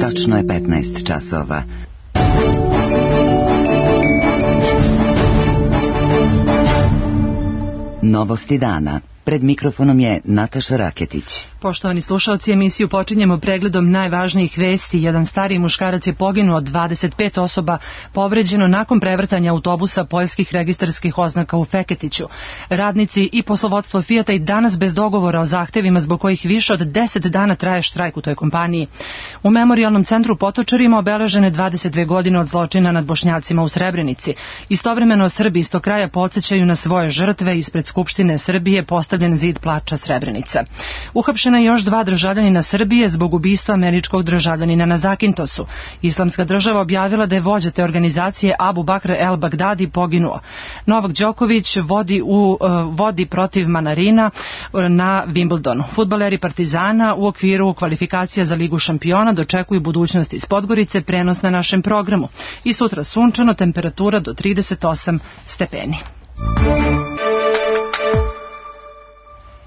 Tačno je 15 časova. Novosti dana. Pred mikrofonom je Nataša Raketić. Poštovani slušalci, emisiju počinjemo pregledom najvažnijih vesti. Jedan stariji muškarac je poginuo, 25 osoba povređeno nakon prevrtanja autobusa poljskih registarskih oznaka u Feketiću. Radnici i poslovodstvo Fijata i danas bez dogovora o zahtevima zbog kojih više od 10 dana traje štrajk u toj kompaniji. U memorijalnom centru Potočarima obeležene 22 godine od zločina nad Bošnjacima u Srebrenici. Istovremeno Srbi iz tog kraja podsjećaju na svoje žrtve. Ispred Skupštine Srbije postavljen zid plača Srebrenica. Uhapšena je još 2 državljanina Srbije zbog ubistva američkog državljanina na Zakintosu. Islamska država objavila da je vođa te organizacije Abu Bakr el Bagdadi poginuo. Novak Đoković vodi protiv Manarina na Wimbledonu. Fudbaleri Partizana u okviru kvalifikacija za Ligu šampiona dočekuju budućnost iz Podgorice, prenos na našem programu. I sutra sunčano, temperatura do 38 stepeni.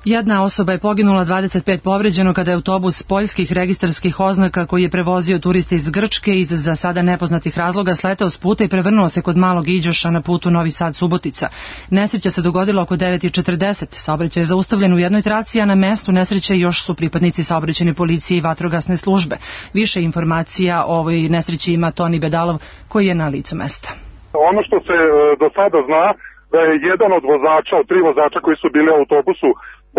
Jedna osoba je poginula, 25 povređeno kada je autobus poljskih registarskih oznaka koji je prevozio turiste iz Grčke iz za sada nepoznatih razloga sletao s puta i prevrnuo se kod Malog Iđoša na putu Novi Sad-Subotica. Nesreća se dogodila oko 9:40. Saobraćaj je zaustavljen u jednoj traci, a na mestu nesreće još su pripadnici saobraćajne policije i vatrogasne službe. Više informacija o ovoj nesreći ima Toni Bedalov koji je na licu mesta. Ono što se do sada zna da je jedan od vozača, od 3 vozača koji su bili u autobusu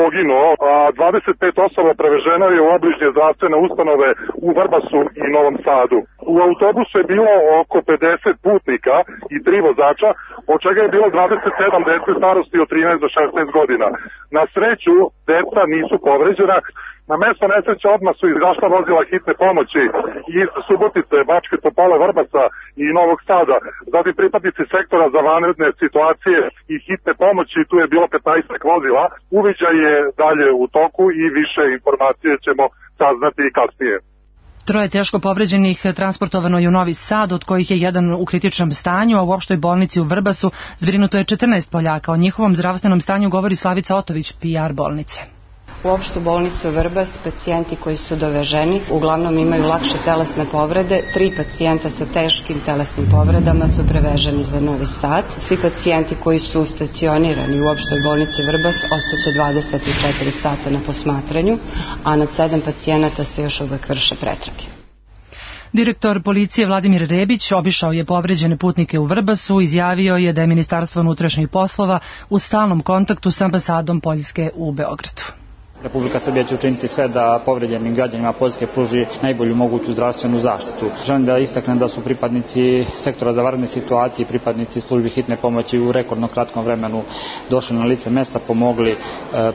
poginuo, a 25 osoba preveženo je u obližnje zdravstvene ustanove u Vrbasu i Novom Sadu. U autobusu je bilo oko 50 putnika i 3 vozača, od čega je bilo 27 dece starosti od 13 do 16 godina. Na sreću, deca nisu povređena. Na mesto nesreće odmah su izašla vozila hitne pomoći iz Subotice, Bačke Topole, Vrbasa i Novog Sada. Zatim pripadnici sektora za vanredne situacije i hitne pomoći, tu je bilo 15 vozila. Uviđaj je dalje u toku i više informacije ćemo saznati i kasnije. 3 teško povređenih transportovano je u Novi Sad, od kojih je jedan u kritičnom stanju, a u opštoj bolnici u Vrbasu zbrinuto je 14 Poljaka. O njihovom zdravstvenom stanju govori Slavica Otović, PR bolnice. U opštu bolnicu Vrbas pacijenti koji su doveženi uglavnom imaju lakše telesne povrede. 3 pacijenta sa teškim telesnim povredama su preveženi za Novi Sad. Svi pacijenti koji su stacionirani u opštoj bolnici Vrbas ostaće 24 sata na posmatranju, a nad 7 pacijenata se još uvek vrše pretrage. Direktor policije Vladimir Rebić obišao je povređene putnike u Vrbasu, izjavio je da je Ministarstvo unutrašnjih poslova u stalnom kontaktu sa ambasadom Poljske u Beogradu. Republika Srbija će učiniti sve da povređenim građanima Poljske pruži najbolju moguću zdravstvenu zaštitu. Želim da istaknem da su pripadnici sektora za vanredne situacije i pripadnici službi hitne pomoći u rekordno kratkom vremenu došli na lice mesta, pomogli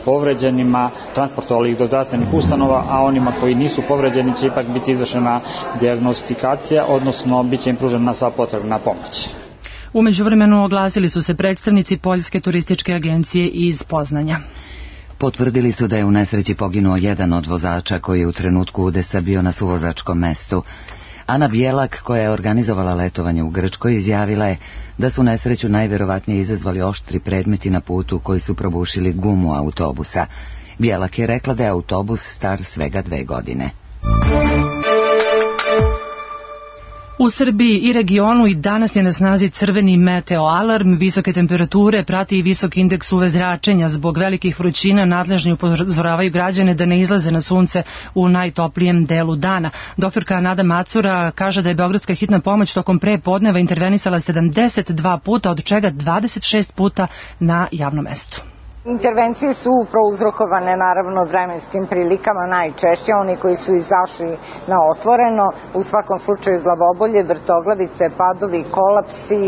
povređenima, transportovali ih do zdravstvenih ustanova, a onima koji nisu povređeni će ipak biti izvršena dijagnostikacija, odnosno bit će im pružena sva potrebna pomoć. U međuvremenu oglasili su se predstavnici Poljske turističke agencije iz Poznanja. Potvrdili su da je u nesreći poginuo jedan od vozača koji je u trenutku udesa bio na suvozačkom mestu. Ana Bjelak, koja je organizovala letovanje u Grčkoj, izjavila je da su nesreću najverovatnije izazvali oštri predmeti na putu koji su probušili gumu autobusa. Bjelak je rekla da je autobus star svega 2 godine. U Srbiji i regionu i danas je na snazi crveni meteo alarm, visoke temperature prati i visok indeks UV zračenja. Zbog velikih vrućina nadležni upozoravaju građane da ne izlaze na sunce u najtoplijem delu dana. Doktorka Nada Macura kaže da je Beogradska hitna pomoć tokom prepodneva intervenisala 72 puta, od čega 26 puta na javnom mestu. Intervencije su prouzrokovane naravno vremenskim prilikama, najčešće oni koji su izašli na otvoreno, u svakom slučaju glavobolje, vrtoglavice, padovi, kolapsi,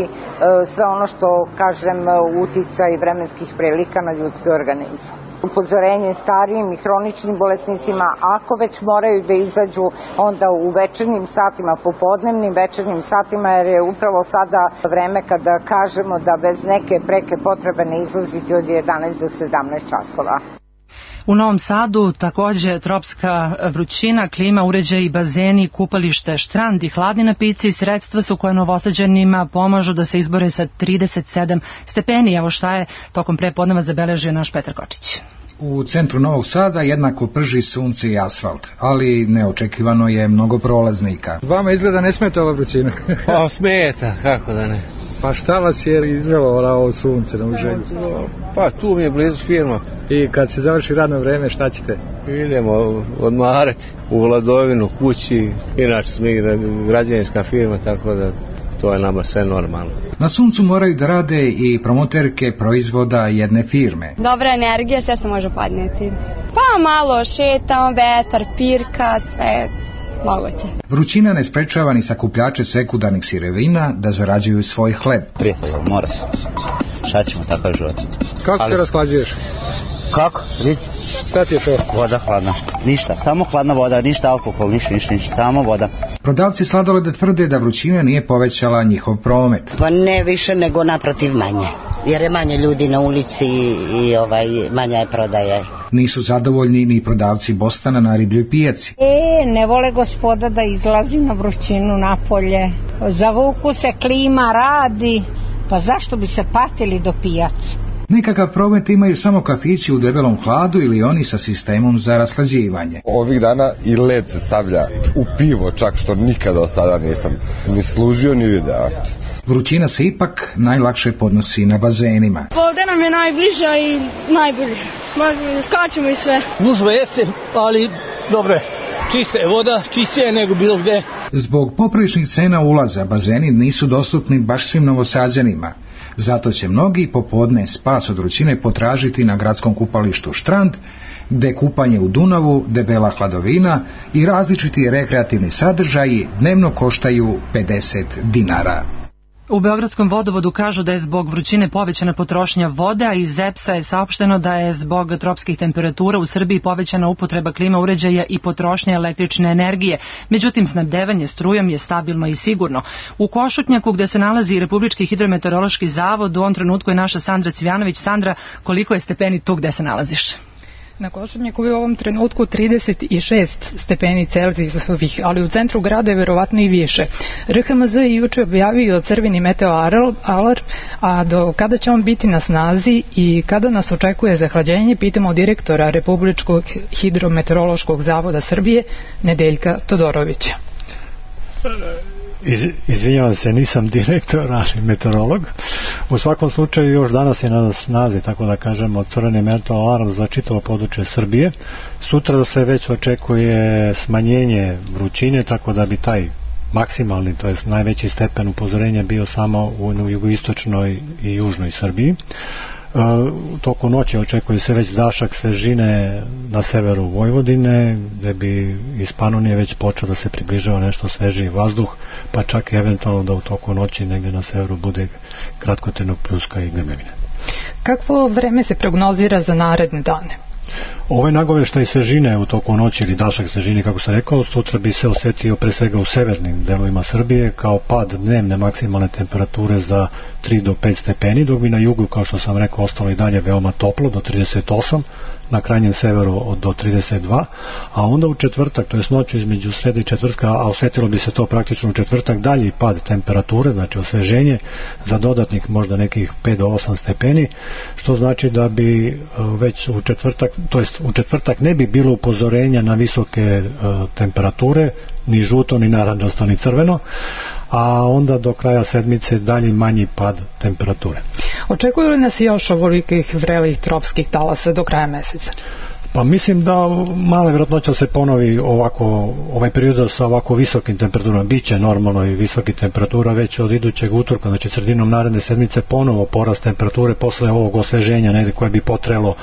sve ono što, kažem, uticaj vremenskih prilika na ljudski organizam. Upozorenje starijim i hroničnim bolesnicima, ako već moraju da izađu, onda u večernjim satima, popodnevnim večernjim satima, jer je upravo sada vreme kada kažemo da bez neke preke potrebe ne izlaziti od 11 do 17 časova. U Novom Sadu takođe tropska vrućina, klima, uređaji, bazeni, kupalište, štrand i hladni napici sredstva su koje Novosađanima pomažu da se izbore sa 37 stepeni. Evo šta je tokom prepodneva zabeležio naš Petar Kočić. U centru Novog Sada jednako prži sunce i asfalt, ali neočekivano je mnogo prolaznika. Vama izgleda ne smeta ova vrućina? Pa smeta, kako da ne. Pa šta vas je izvelo ovo sunce na uželju? Pa tu mi je blizu firma. I kad se završi radno vreme, šta ćete? Idemo odmarati u Vladovinu, kući, inače smo građevinska firma, tako da to je nama sve normalno. Na suncu moraju da rade i promoterke proizvoda jedne firme. Dobra energija, sve se može podnijeti. Pa malo šetamo, vetar, pirka, sve moguće. Vrućina ne sprečava ni sakupljače sekundarnih sirovina da zarađuju svoj hleb. Prijatelj, mora se. Šta ćemo, takav život. Kako se rasklađuješ? Kako? Vidi. Šta ti je to? Voda hladna. Ništa, samo hladna voda, ništa alkohol, ništa, samo voda. Prodavci sladoleda tvrde da vrućina nije povećala njihov promet. Pa ne više nego naprotiv manje, jer je manje ljudi na ulici i manja je prodaja. Nisu zadovoljni ni prodavci bostana na ribljoj pijaci. Ne vole gospoda da izlazi na vrućinu napolje. Zavuku se, klima radi, pa zašto bi se patili do pijaci? Nekakav promet imaju samo kafići u debelom hladu ili oni sa sistemom za rashlađivanje. Ovih dana i led se stavlja u pivo, čak što nikada od sada nisam ni služio ni video. Vrućina se ipak najlakše podnosi na bazenima. Ovdje nam je najbliža i najbolje. Skačemo i sve. Gužva jeste, ali dobre. Čista je voda, čistija je nego bilo gde. Zbog popriličnih cena ulaza bazeni nisu dostupni baš svim Novosađanima. Zato će mnogi popodne spas od vrućine potražiti na gradskom kupalištu Štrand, gde kupanje u Dunavu, debela hladovina i različiti rekreativni sadržaji dnevno koštaju 50 dinara. U Beogradskom vodovodu kažu da je zbog vrućine povećana potrošnja vode, a iz EPS-a je saopšteno da je zbog tropskih temperatura u Srbiji povećana upotreba klima uređaja i potrošnja električne energije. Međutim, snabdevanje strujom je stabilno i sigurno. U Košutnjaku, gde se nalazi Republički hidrometeorološki zavod, u ovom trenutku je naša Sandra Cvijanović. Sandra, koliko je stepeni tu gde se nalaziš? Na Košutnjaku je u ovom trenutku 36 stepeni Celzijusovih, ali u centru grada je verovatno i više. RHMZ je juče objavio crveni meteo alarm, a do kada će on biti na snazi i kada nas očekuje zahlađenje, pitamo direktora Republičkog hidrometeorološkog zavoda Srbije, Nedeljka Todorovića. Izvinjavam se, nisam direktor, ali meteorolog. U svakom slučaju još danas je na snazi, tako da kažemo, crveni meteo alarm za čitavo područje Srbije. Sutra se već očekuje smanjenje vrućine, tako da bi taj maksimalni, to jest najveći stepen upozorenja bio samo u jugoistočnoj i južnoj Srbiji. U toku noći očekuje se već dašak svežine na severu Vojvodine, gde bi iz Panonije već počeo da se približava nešto svežiji vazduh, pa čak i eventualno da u toku noći negde na severu bude kratkotrajnog pljuska i grmljavine. Kakvo vreme se prognozira za naredne dane? Ovaj nagoveštaj svežine u toku noći ili dašak svežine, kako sam rekao, sutra bi se osjetio pre svega u severnim delovima Srbije kao pad dnevne maksimalne temperature za 3 do 5 stepeni, dok bi na jugu, kao što sam rekao, ostalo i dalje veoma toplo do 38, na krajnjem severu do 32, a onda u četvrtak, to je noću između srede i četvrtka, a osjetilo bi se to praktično u četvrtak, dalji pad temperature, znači osveženje za dodatnih možda nekih 5 do 8 stepeni, što znači da bi već u četvrtak, to jest u četvrtak ne bi bilo upozorenja na visoke temperature, ni žuto, ni narančasto, ni crveno, a onda do kraja sedmice dalji manji pad temperature. Očekuju li nas još ovolikih vrelih tropskih talasa do kraja meseca? Pa mislim da mala vjerojatnoća se ponovi ovaj period sa ovako visokim temperaturama. Biće normalno i visoki temperatura već od idućeg utorka, znači sredinom naredne sedmice ponovo porast temperature posle ovog osveženja negde koje bi potrelo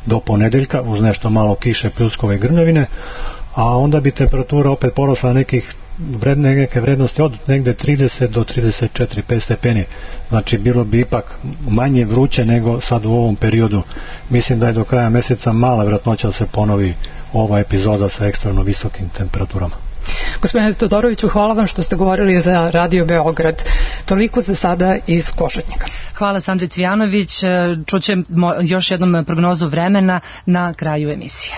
do ponedeljka uz nešto malo kiše, pljuskove i grmljavine, a onda bi temperatura opet porasla neke vrednosti od negde 30 do 34-5 stepeni. Znači bilo bi ipak manje vruće nego sad u ovom periodu. Mislim da je do kraja meseca mala vjerojatnoća da se ponovi ova epizoda sa ekstremno visokim temperaturama. Gospodine Todoroviću, hvala vam što ste govorili za Radio Beograd. Toliko za sada iz Košutnjaka. Hvala Sandri Cvijanović. Čućemo još jednom prognozu vremena na kraju emisije.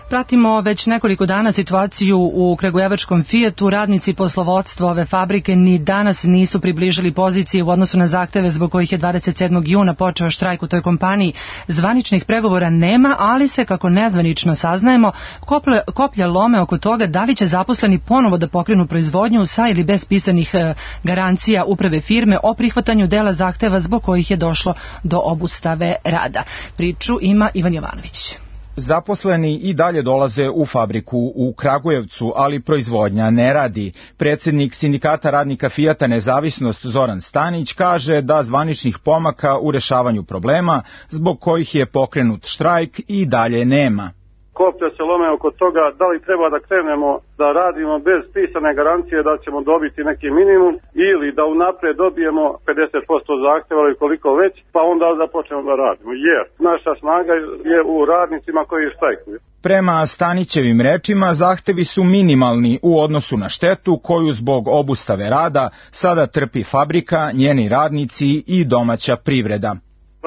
Pratimo već nekoliko dana situaciju u kragujevačkom Fijatu. Radnici poslovodstva ove fabrike ni danas nisu približili pozicije u odnosu na zahteve zbog kojih je 27. juna počeo štrajk u toj kompaniji. Zvaničnih pregovora nema, ali se, kako nezvanično saznajemo, koplja lome oko toga da li će zaposleni ponovo da pokrenu proizvodnju sa ili bez pisanih garancija uprave firme o prihvatanju dela zahteva zbog kojih je došlo do obustave rada. Priču ima Ivan Jovanović. Zaposleni i dalje dolaze u fabriku u Kragujevcu, ali proizvodnja ne radi. Predsjednik Sindikata radnika Fijata Nezavisnost Zoran Stanić kaže da zvaničnih pomaka u rešavanju problema zbog kojih je pokrenut štrajk i dalje nema. Koplja se lome oko toga da li treba da krenemo da radimo bez pisane garancije da ćemo dobiti neki minimum ili da unapred dobijemo 50% zahtjeva ili koliko već, pa onda da počnemo da radimo. Jer naša snaga je u radnicima koji štrajkuju. Prema Stanićevim rečima, zahtevi su minimalni u odnosu na štetu koju zbog obustave rada sada trpi fabrika, njeni radnici i domaća privreda.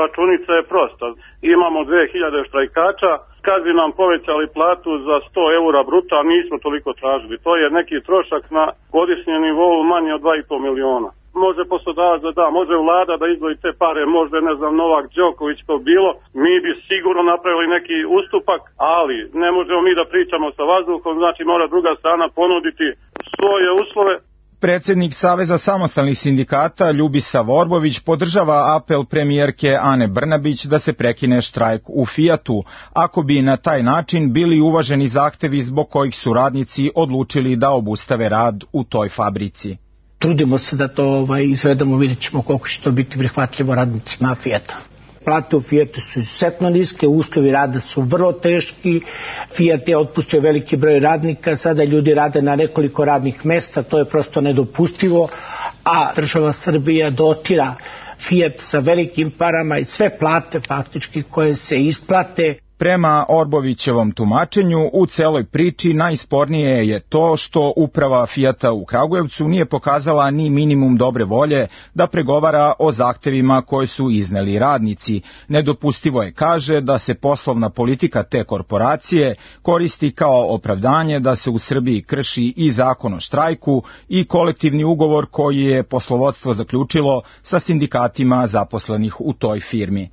Računica je prosta. Imamo 2000 štrajkača. Kad bi nam povećali platu za 100 eura bruto, a nismo toliko tražili. To je neki trošak na godišnjem nivou manje od 2,5 miliona. Može poslodavac da da, može vlada da izdvoji te pare, možda ne znam Novak Đoković to bilo. Mi bi sigurno napravili neki ustupak, ali ne možemo mi da pričamo sa vazduhom, znači mora druga strana ponuditi svoje uslove. Predsjednik Saveza samostalnih sindikata Ljubisa Vorbović podržava apel premijerke Ane Brnabić da se prekine štrajk u Fijatu, ako bi na taj način bili uvaženi zahtevi zbog kojih su radnici odlučili da obustave rad u toj fabrici. Trudimo se da to izvedemo, vidjet ćemo koliko će to biti prihvatljivo radnicima Fijata. Plate u Fijatu su izuzetno niske, uslovi rada su vrlo teški, Fijat je otpustio veliki broj radnika, sada ljudi rade na nekoliko radnih mesta, to je prosto nedopustivo, a država Srbija dotira Fijat sa velikim parama i sve plate faktički koje se isplate. Prema Orbovićevom tumačenju, u celoj priči najspornije je to što uprava Fijata u Kragujevcu nije pokazala ni minimum dobre volje da pregovara o zahtevima koje su izneli radnici. Nedopustivo je, kaže, da se poslovna politika te korporacije koristi kao opravdanje da se u Srbiji krši i zakon o štrajku i kolektivni ugovor koji je poslovodstvo zaključilo sa sindikatima zaposlenih u toj firmi.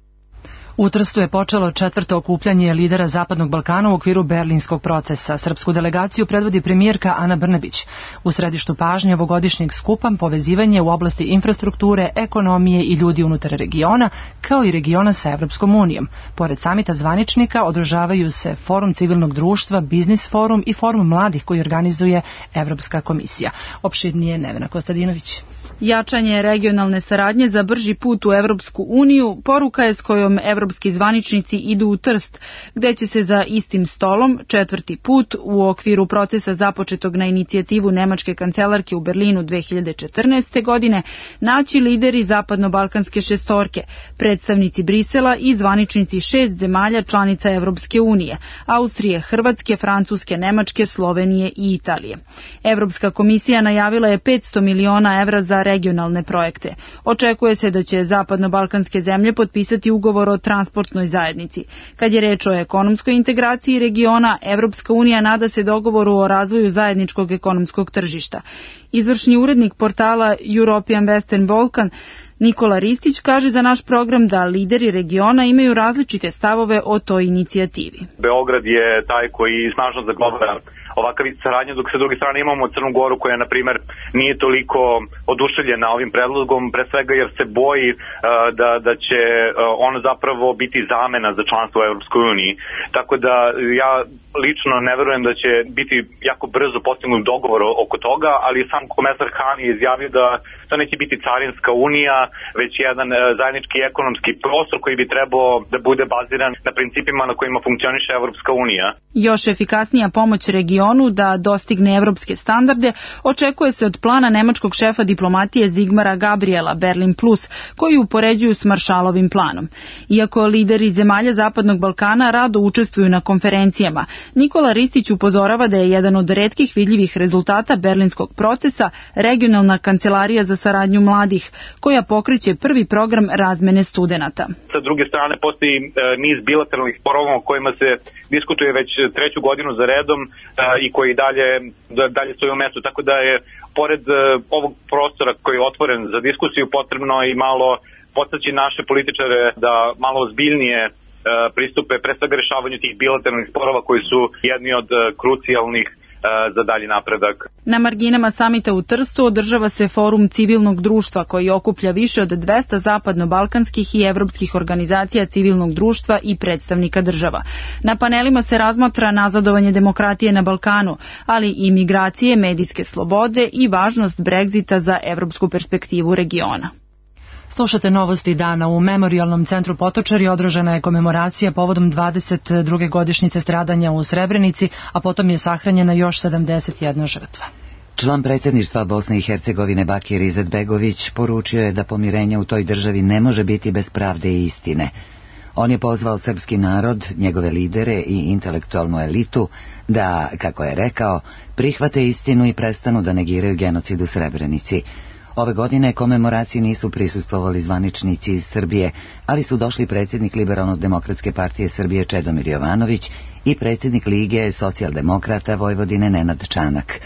U Trstu je počelo 4. okupljanje lidera Zapadnog Balkana u okviru Berlinskog procesa. Srpsku delegaciju predvodi premijerka Ana Brnabić. U središtu pažnje ovogodišnjeg skupa povezivanje u oblasti infrastrukture, ekonomije i ljudi unutar regiona, kao i regiona sa Evropskom unijom. Pored samita zvaničnika održavaju se Forum civilnog društva, Biznis forum i Forum mladih koji organizuje Evropska komisija. Opširnije Nevena Kostadinović. Jačanje regionalne saradnje za brži put u Evropsku uniju poruka je s kojom evropski zvaničnici idu u Trst, gde će se za istim stolom 4. put u okviru procesa započetog na inicijativu nemačke kancelarke u Berlinu 2014. godine naći lideri zapadno-balkanske šestorke, predstavnici Brisela i zvaničnici 6 zemalja članica Evropske unije, Austrije, Hrvatske, Francuske, Nemačke, Slovenije i Italije. Evropska komisija najavila je 500 miliona evra za regionalne projekte. Očekuje se da će zapadno-balkanske zemlje potpisati ugovor o transportnoj zajednici. Kad je reč o ekonomskoj integraciji regiona, Evropska unija nada se dogovoru o razvoju zajedničkog ekonomskog tržišta. Izvršni urednik portala European Western Balkan Nikola Ristić kaže za naš program da lideri regiona imaju različite stavove o toj inicijativi. Beograd je taj koji snažno zagovara ovakav vid saradnje, dok sa druge strane imamo Crnu Goru koja, na primjer, nije toliko oduševljena ovim predlogom, pre svega jer se boji da će ono zapravo biti zamena za članstvo u Evropskoj uniji. Tako da ja lično ne verujem da će biti jako brzo postignut dogovor oko toga, ali sam komesar Han je izjavio da to neće biti carinska unija, već jedan zajednički ekonomski prostor koji bi trebao da bude baziran na principima na kojima funkcioniše Evropska unija. Još efikasnija pomoć regionu da dostigne evropske standarde očekuje se od plana nemačkog šefa diplomatije Zigmara Gabriela Berlin Plus, koji upoređuju s Maršalovim planom. Iako lideri zemalja Zapadnog Balkana rado učestvuju na konferencijama, Nikola Ristić upozorava da je jedan od retkih vidljivih rezultata berlinskog procesa regionalna kancelarija za saradnju mladih, koja pokreće prvi program razmene studenata. Sa druge strane postoji niz bilateralnih sporova o kojima se diskutuje već treću godinu za redom i koji dalje stoji u mestu, tako da je pored ovog prostora koji je otvoren za diskusiju potrebno i malo podstaći naše političare da malo ozbiljnije pristupe pre svega rešavanju tih bilateralnih sporova koji su jedni od krucijalnih za dalji napredak. Na marginama samita u Trstu održava se forum civilnog društva koji okuplja više od 200 zapadno-balkanskih i evropskih organizacija civilnog društva i predstavnika država. Na panelima se razmatra nazadovanje demokratije na Balkanu, ali i migracije, medijske slobode i važnost Brexita za evropsku perspektivu regiona. Slušate novosti dana. U Memorijalnom centru Potočari održana je komemoracija povodom 22. godišnjice stradanja u Srebrenici, a potom je sahranjena još 71 žrtva. Član predsjedništva Bosne i Hercegovine Bakir Izetbegović poručio je da pomirenje u toj državi ne može biti bez pravde i istine. On je pozvao srpski narod, njegove lidere i intelektualnu elitu da, kako je rekao, prihvate istinu i prestanu da negiraju genocid u Srebrenici. Ove godine komemoraciji nisu prisustvovali zvaničnici iz Srbije, ali su došli predsjednik Liberalno-demokratske partije Srbije Čedomir Jovanović i predsjednik Lige socijaldemokrata Vojvodine Nenad Čanak.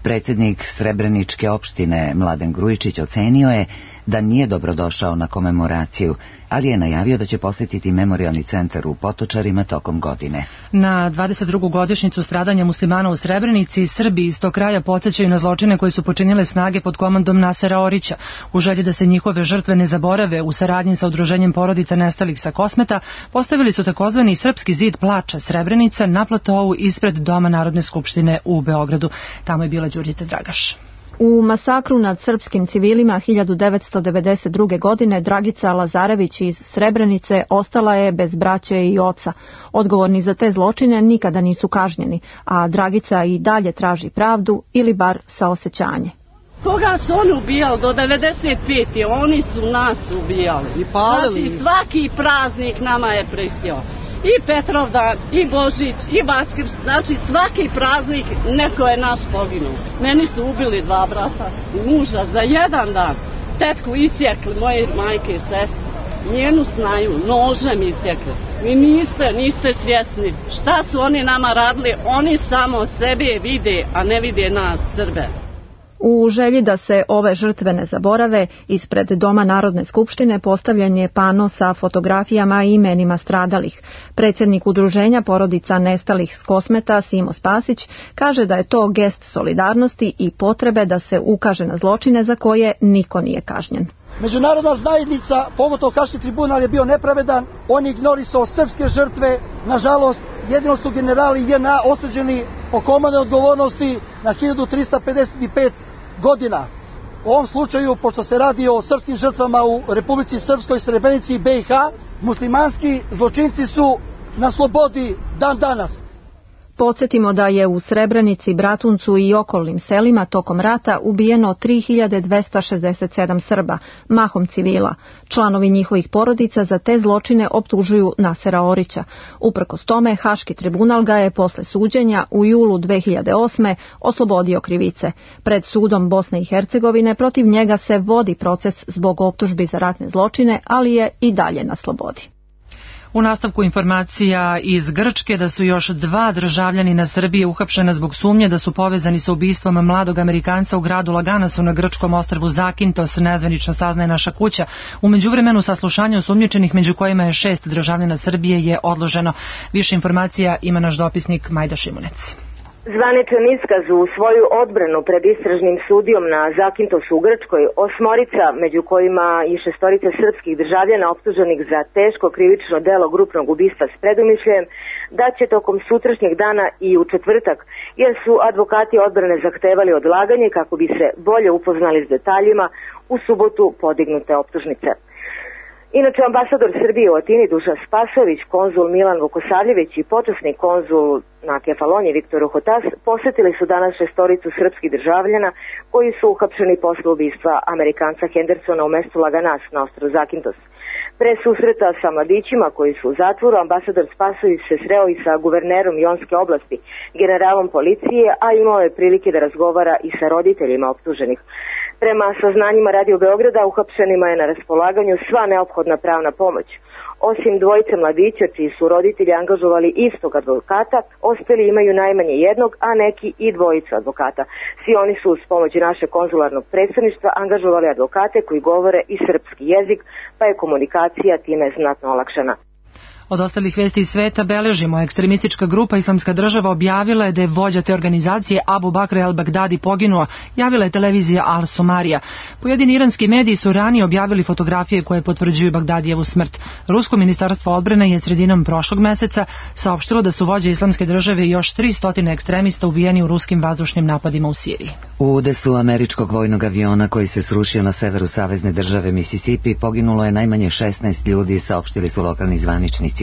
Predsjednik Srebreničke opštine Mladen Grujičić ocenio je da nije dobrodošao na komemoraciju, ali je najavio da će posjetiti memorijalni centar u Potočarima tokom godine. Na 22. godišnjicu stradanja muslimana u Srebrenici, Srbi iz tog kraja podsjećaju na zločine koje su počinile snage pod komandom Nasera Orića. U želji da se njihove žrtve ne zaborave, u saradnji sa udruženjem porodica nestalih sa Kosmeta, postavili su takozvani Srpski zid plača Srebrenica na platovu ispred Doma Narodne skupštine u Beogradu. Tamo je bila Đurđica Dragaš. U masakru nad srpskim civilima 1992. godine Dragica Lazarević iz Srebrenice ostala je bez braće i oca. Odgovorni za te zločine nikada nisu kažnjeni, a Dragica i dalje traži pravdu ili bar saosećanje. Koga su oni ubijali do 95. Oni su nas ubijali. I palili. Znači svaki praznik nama je prisio. I Petrovdan, i Božić, i Vaskrs, znači svaki praznik neko je naš poginuo. Meni su ubili 2 brata i muža za 1 dan. Tetku isjekli, moje majke i sestre. Njenu snaju, nožem isjekli. Vi niste svjesni šta su oni nama radili, oni samo sebe vide, a ne vide nas, Srbe. U želji da se ove žrtve ne zaborave, ispred Doma Narodne skupštine postavljen je pano sa fotografijama i imenima stradalih. Predsjednik udruženja porodica nestalih s Kosmeta, Simo Spasić, kaže da je to gest solidarnosti i potrebe da se ukaže na zločine za koje niko nije kažnjen. Međunarodna zajednica, pogotovo Haški tribunal, je bio nepravedan, on je ignorisao srpske žrtve, nažalost, jedino su generali JNA osuđeni po komandnoj odgovornosti na 1355 godina. U ovom slučaju, pošto se radi o srpskim žrtvama u Republici Srpskoj, Srebrenici i BiH, muslimanski zločinci su na slobodi dan danas. Podsjetimo da je u Srebrenici, Bratuncu i okolnim selima tokom rata ubijeno 3267 Srba, mahom civila. Članovi njihovih porodica za te zločine optužuju Nasera Orića. Uprkos tome, Haški tribunal ga je posle suđenja u julu 2008. oslobodio krivice. Pred sudom Bosne i Hercegovine protiv njega se vodi proces zbog optužbi za ratne zločine, ali je i dalje na slobodi. U nastavku informacija iz Grčke da su još 2 državljanina Srbije uhapšena zbog sumnje da su povezani sa ubistvom mladog Amerikanca u gradu Laganasu na grčkom ostrvu Zakintos, nezvanično saznaje Naša kuća. U međuvremenu saslušanje osumnjičenih, među kojima je 6 državljana Srbije, je odloženo. Više informacija ima naš dopisnik Majda Šimunec. Zvaničan iskaz u svoju odbranu pred istražnim sudijom na Zakintosu u Grčkoj, 8 među kojima i 6 srpskih državljana optuženih za teško krivično delo grupnog ubistva s predumišljajem, da će tokom sutrašnjeg dana i u četvrtak, jer su advokati odbrane zahtevali odlaganje kako bi se bolje upoznali s detaljima u subotu podignute optužnice. Inače, ambasador Srbije u Atini Dušan Spasović, konzul Milan Vukosavljević i počasni konzul na Kefaloniji Viktor Uhotas posjetili su danas 6 srpskih državljana koji su uhapšeni posle ubistva Amerikanca Hendersona u mestu Laganas na ostrvu Zakintos. Pre susreta sa mladićima koji su u zatvoru, ambasador Spasović se sreo i sa guvernerom Jonske oblasti, generalom policije, a imao je prilike da razgovara i sa roditeljima optuženih. Prema saznanjima Radio Beograda, uhapšenima je na raspolaganju sva neophodna pravna pomoć. Osim dvojice mladića čiji su roditelji angažovali istog advokata, ostali imaju najmanje jednog, a neki i dvojicu advokata. Svi oni su uz pomoć našeg konzularnog predstavništva angažovali advokate koji govore i srpski jezik, pa je komunikacija time znatno olakšana. Od ostalih vesti iz sveta beležimo, ekstremistička grupa Islamska država objavila je da je vođa te organizacije Abu Bakr el-Bagdadi poginuo, javila je televizija Al Somarija. Pojedini iranski mediji su ranije objavili fotografije koje potvrđuju Bagdadijevu smrt. Rusko ministarstvo odbrane je sredinom prošlog meseca saopštilo da su vođe Islamske države i još 300 ekstremista ubijeni u ruskim vazdušnim napadima u Siriji. U udesu američkog vojnog aviona koji se srušio na severu savezne države Mississippi poginulo je najmanje 16 ljudi, saopštili su lokalni zvaničnici.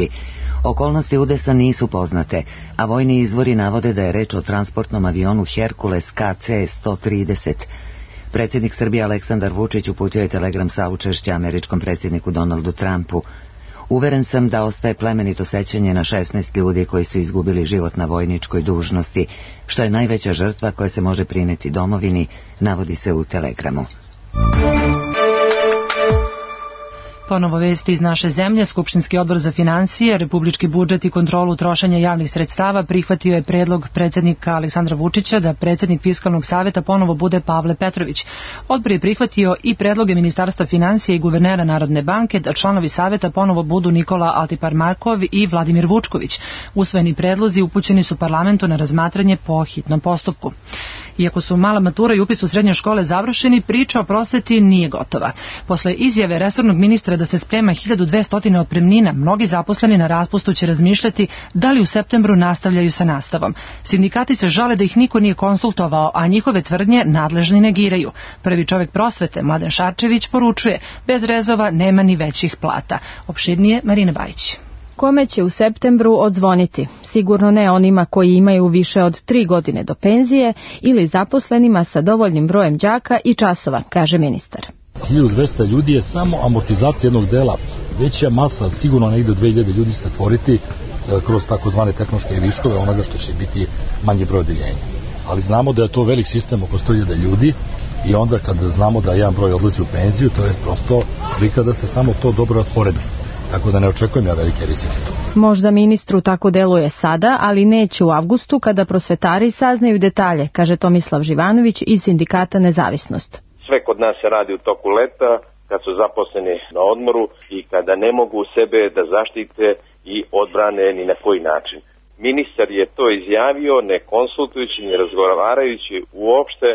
Okolnosti udesa nisu poznate, a vojni izvori navode da je reč o transportnom avionu Hercules KC-130. Predsjednik Srbije Aleksandar Vučić uputio je telegram saučešća američkom predsjedniku Donaldu Trumpu. Uveren sam da ostaje plemenito sećanje na 16 ljudi koji su izgubili život na vojničkoj dužnosti, što je najveća žrtva koja se može prineti domovini, navodi se u telegramu. Ponovo vesti iz naše zemlje. Skupštinski odbor za financije, republički budžet i kontrolu trošenja javnih sredstava prihvatio je predlog predsjednika Aleksandra Vučića da predsjednik Fiskalnog saveta ponovo bude Pavle Petrović. Odbor je prihvatio i predloge Ministarstva financija i guvernera Narodne banke da članovi saveta ponovo budu Nikola Altiparmakov i Vladimir Vučković. Usvojeni predlozi upućeni su parlamentu na razmatranje po hitnom postupku. Iako su mala matura i upis u srednje škole završeni, priča o prosveti nije gotova. Posle izjave resornog ministra da se sprema 1200 otpremnina, mnogi zaposleni na raspustu će razmišljati da li u septembru nastavljaju sa nastavom. Sindikati se žale da ih niko nije konsultovao, a njihove tvrdnje nadležni negiraju. Prvi čovjek prosvete, Mladen Šarčević, poručuje: bez rezova nema ni većih plata. Opširnije Marina Bajić. Kome će u septembru odzvoniti? Sigurno ne onima koji imaju više od 3 godine do penzije ili zaposlenima sa dovoljnim brojem đaka i časova, kaže ministar. 1200 ljudi je samo amortizacija jednog dela. Veća masa, sigurno negde 2000 ljudi se stvoriti kroz takozvane tehnološke viškove onoga što će biti manji broj odeljenja. Ali znamo da je to velik sistem oko 100.000 ljudi i onda kada znamo da jedan broj odlazi u penziju, to je prosto prika da se samo to dobro rasporedi. Tako da ne očekujem ja velike rizike. Možda ministru tako deluje sada, ali neće u avgustu kada prosvetari saznaju detalje, kaže Tomislav Živanović iz sindikata Nezavisnost. Sve kod nas se radi u toku leta, kad su zaposleni na odmoru i kada ne mogu sebe da zaštite i odbrane ni na koji način. Ministar je to izjavio ne konsultujući, ne razgovarajući uopšte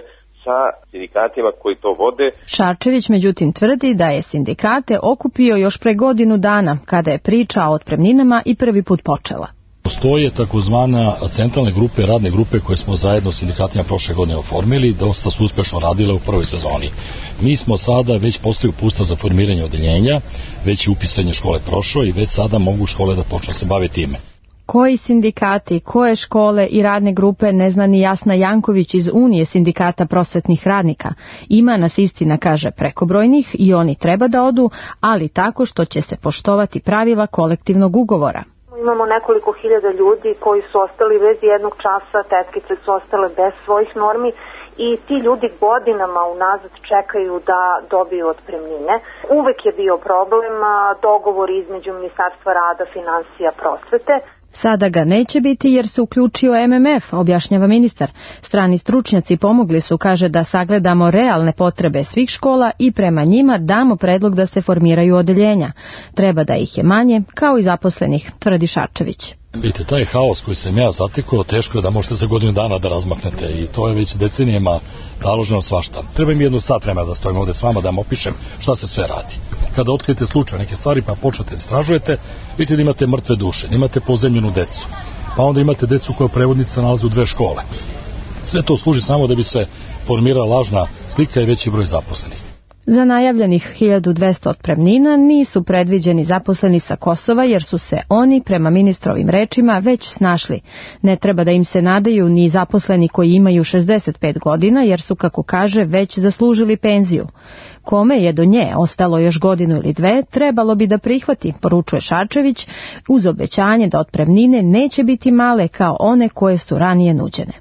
sa sindikatima koji to vode. Šarčević međutim tvrdi da je sindikate okupio još pre godinu dana, kada je priča o otpremninama i prvi put počela. Postoje takozvana centralne grupe, radne grupe koje smo zajedno s sindikatima prošle godine oformili, dosta su uspešno radile u prvoj sezoni. Mi smo sada već postali upustav za formiranje odeljenja, već je upisanje škole prošlo i već sada mogu škole da počnu se baviti time. Koji sindikati, koje škole i radne grupe ne zna ni Jasna Janković iz Unije sindikata prosvetnih radnika. Ima nas, istina kaže, prekobrojnih i oni treba da odu, ali tako što će se poštovati pravila kolektivnog ugovora. Imamo nekoliko hiljada ljudi koji su ostali bez jednog časa, tetkice su ostale bez svojih normi i ti ljudi godinama unazad čekaju da dobiju otpremnine. Uvek je bio problem dogovor između Ministarstva rada, financija, prosvete. Sada ga neće biti jer se uključio MMF, objašnjava ministar. Strani stručnjaci pomogli su, kaže, da sagledamo realne potrebe svih škola i prema njima damo predlog da se formiraju odeljenja. Treba da ih je manje, kao i zaposlenih, tvrdi Šarčević. Vidite, taj haos koji sam ja zatekao, teško je da možete za godinu dana da razmaknete i to je već decenijama naloženo svašta. Treba mi 1 sat vremena da stojim ovde s vama da vam opišem šta se sve radi. Kada otkrijete slučaj neke stvari pa počnete da istražujete, vidite da imate mrtve duše, da imate pozemljenu decu, pa onda imate decu koja prevodnica nalazi u 2 škole. Sve to služi samo da bi se formirala lažna slika i veći broj zaposlenih. Za najavljenih 1200 otpremnina nisu predviđeni zaposleni sa Kosova jer su se oni, prema ministrovim rečima, već snašli. Ne treba da im se nadaju ni zaposleni koji imaju 65 godina jer su, kako kaže, već zaslužili penziju. Kome je do nje ostalo još godinu ili 2, trebalo bi da prihvati, poručuje Šarčević, uz obećanje da otpremnine neće biti male kao one koje su ranije nuđene.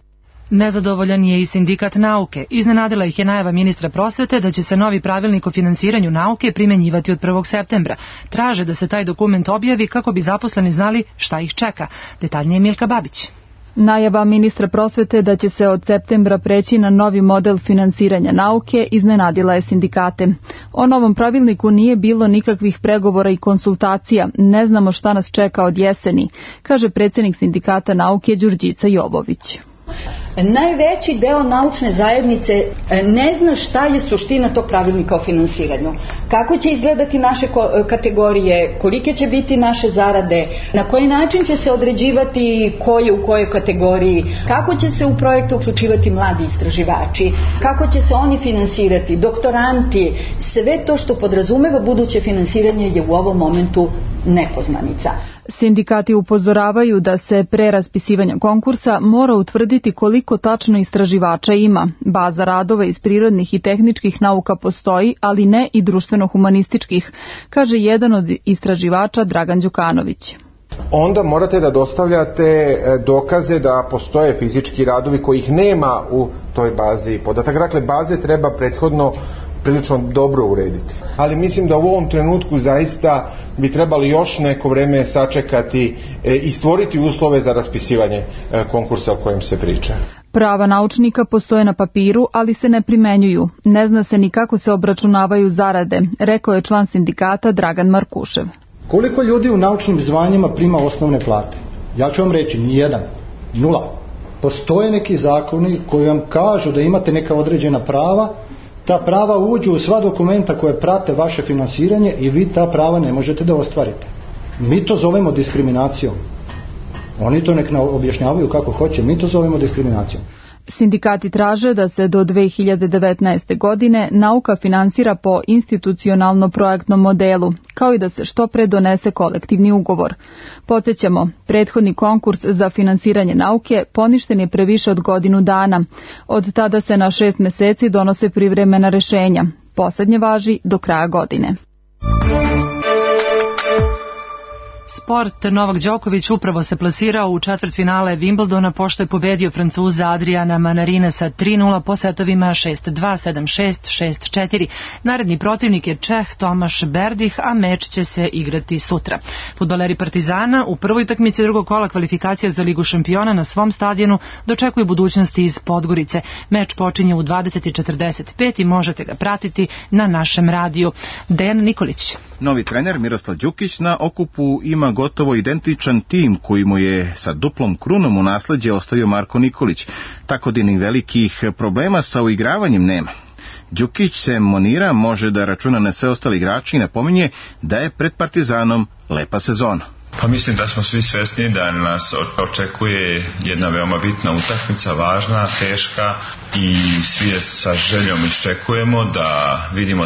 Nezadovoljan je i sindikat nauke. Iznenadila ih je najava ministra prosvete da će se novi pravilnik o finansiranju nauke primenjivati od 1. septembra. Traže da se taj dokument objavi kako bi zaposleni znali šta ih čeka. Detaljnije Milka Babić. Najava ministra prosvete da će se od septembra preći na novi model finansiranja nauke iznenadila je sindikate. O novom pravilniku nije bilo nikakvih pregovora i konsultacija. Ne znamo šta nas čeka od jeseni, kaže predsjednik sindikata nauke Đurđica Jovović. Najveći deo naučne zajednice ne zna šta je suština tog pravilnika o finansiranju. Kako će izgledati naše kategorije, kolike će biti naše zarade, na koji način će se određivati ko je u kojoj kategoriji, kako će se u projekte uključivati mladi istraživači, kako će se oni finansirati, doktoranti, sve to što podrazumeva buduće finansiranje je u ovom momentu nepoznanica. Sindikati upozoravaju da se pre raspisivanja konkursa mora utvrditi koliko tačno istraživača ima. Baza radova iz prirodnih i tehničkih nauka postoji, ali ne i društveno-humanističkih, kaže jedan od istraživača Dragan Đukanović. Onda morate da dostavljate dokaze da postoje fizički radovi kojih nema u toj bazi podataka. Dakle, baze treba prethodno prilično dobro urediti. Ali mislim da u ovom trenutku zaista bi trebali još neko vreme sačekati i stvoriti uslove za raspisivanje konkursa o kojem se priča. Prava naučnika postoje na papiru, ali se ne primenjuju. Ne zna se ni kako se obračunavaju zarade, rekao je član sindikata Dragan Markušev. Koliko ljudi u naučnim zvanjima prima osnovne plate? Ja ću vam reći, nijedan, 0. Postoje neki zakoni koji vam kažu da imate neka određena prava. Ta prava uđu u sva dokumenta koje prate vaše finansiranje i vi ta prava ne možete da ostvarite. Mi to zovemo diskriminacijom. Oni to nek objašnjavaju kako hoće, mi to zovemo diskriminacijom. Sindikati traže da se do 2019. godine nauka finansira po institucionalno-projektnom modelu, kao i da se što pre donese kolektivni ugovor. Podsjećamo, prethodni konkurs za finansiranje nauke poništen je pre više od godinu dana. Od tada se na 6 meseci donose privremena rešenja. Poslednje važi do kraja godine. Sport. Novak Đoković upravo se plasirao u četvrtfinale Wimbledona pošto je pobedio Francuza Adriana Manarina sa 3-0 po setovima 6-2, 7-6, 6-4. Naredni protivnik je Čeh Tomaš Berdih, a meč će se igrati sutra. Fudbaleri Partizana u prvoj utakmici drugog kola kvalifikacija za Ligu šampiona na svom stadionu dočekuju budućnosti iz Podgorice. Meč počinje u 20:45 i možete ga pratiti na našem radiju. Dejan Nikolić. Novi trener Miroslav Đukić na okupu ima gotovo identičan tim koji mu je sa duplom krunom u nasleđe ostavio Marko Nikolić, tako da ni velikih problema sa uigravanjem nema. Đukić se monira, može da računa na sve ostali igrači i napominje da je pred Partizanom lepa sezona. Pa mislim da smo svi svesni da nas očekuje jedna veoma bitna utakmica, važna, teška i svi je sa željom iščekujemo da vidimo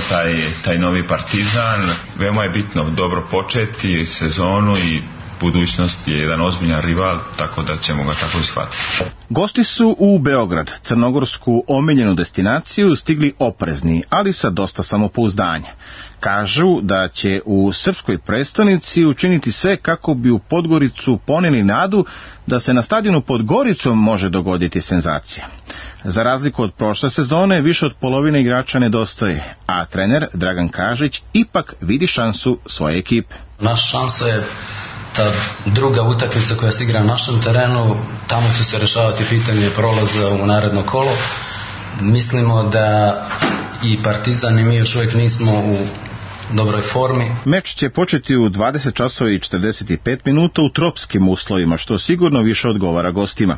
taj novi Partizan. Veoma je bitno dobro početi sezonu i budućnost je jedan ozbiljan rival, tako da ćemo ga tako ishvatiti. Gosti su u Beograd, crnogorsku omiljenu destinaciju, stigli oprezni, ali sa dosta samopouzdanja. Kažu da će u srpskoj prestonici učiniti sve kako bi u Podgoricu poneli nadu da se na stadionu pod Goricom može dogoditi senzacija. Za razliku od prošle sezone, više od polovine igrača nedostaje, a trener Dragan Kažić ipak vidi šansu svoje ekipe. Naša šansa je ta druga utakmica koja se igra na našem terenu, tamo će se rešavati pitanje prolaza u naredno kolo. Mislimo da i Partizan i mi još uvijek nismo u dobroj formi. Meč će početi u 20 časova i 45 minuta u tropskim uslovima, što sigurno više odgovara gostima.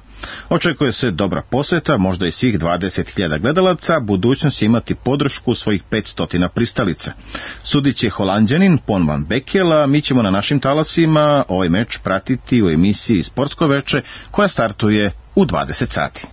Očekuje se dobra poseta, možda i svih 20.000 gledalaca, budućnost će imati podršku svojih 500 pristalica. Sudit će Holanđanin Pon van Bekel, a mi ćemo na našim talasima ovaj meč pratiti u emisiji Sportsko veče koja startuje u 20 sati.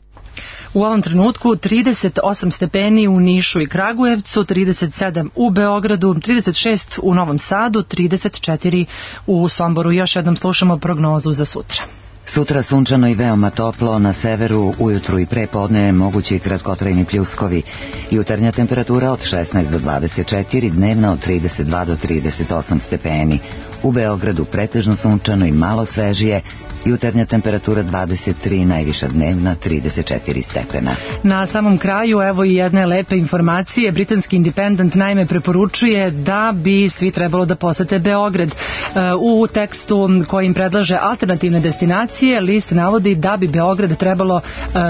U ovom trenutku 38 stepeni u Nišu i Kragujevcu, 37 u Beogradu, 36 u Novom Sadu, 34 u Somboru. Još jednom slušamo prognozu za sutra. Sutra sunčano i veoma toplo, na severu ujutru i prepodne mogući kratkotrajni pljuskovi. Jutarnja temperatura od 16 do 24, dnevna od 32 do 38 stepeni. U Beogradu pretežno sunčano i malo svežije, jutarnja temperatura 23, najviša dnevna 34 stepena. Na samom kraju, evo i jedne lepe informacije. Britanski Independent naime preporučuje da bi svi trebalo da posete Beograd. U tekstu kojim predlaže alternativne destinacije, list navodi da bi Beograd trebalo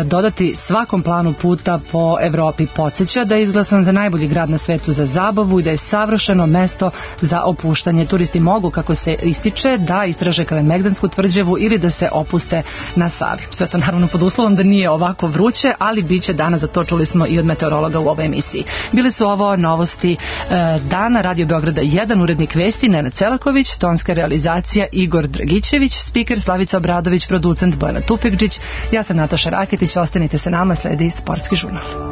dodati svakom planu puta po Evropi. Podsjeća da je izglasan za najbolji grad na svetu za zabavu i da je savršeno mesto za opuštanje. Turisti mogu, kako se ističe, da istraže Kalemegdansku tvrđavu ili da se opuste na Savi. Sve to naravno pod uslovom da nije ovako vruće, ali bit će dana, za to čuli smo i od meteorologa u ovoj emisiji. Bile su ovo novosti dana, Radio Beograda 1, urednik vesti Nenad Celaković, tonska realizacija Igor Dragićević, spiker Slavica Obradović, producent Bojana Tupekđić, ja sam Nataša Raketić, ostanite sa nama, sledi Sportski žurnal.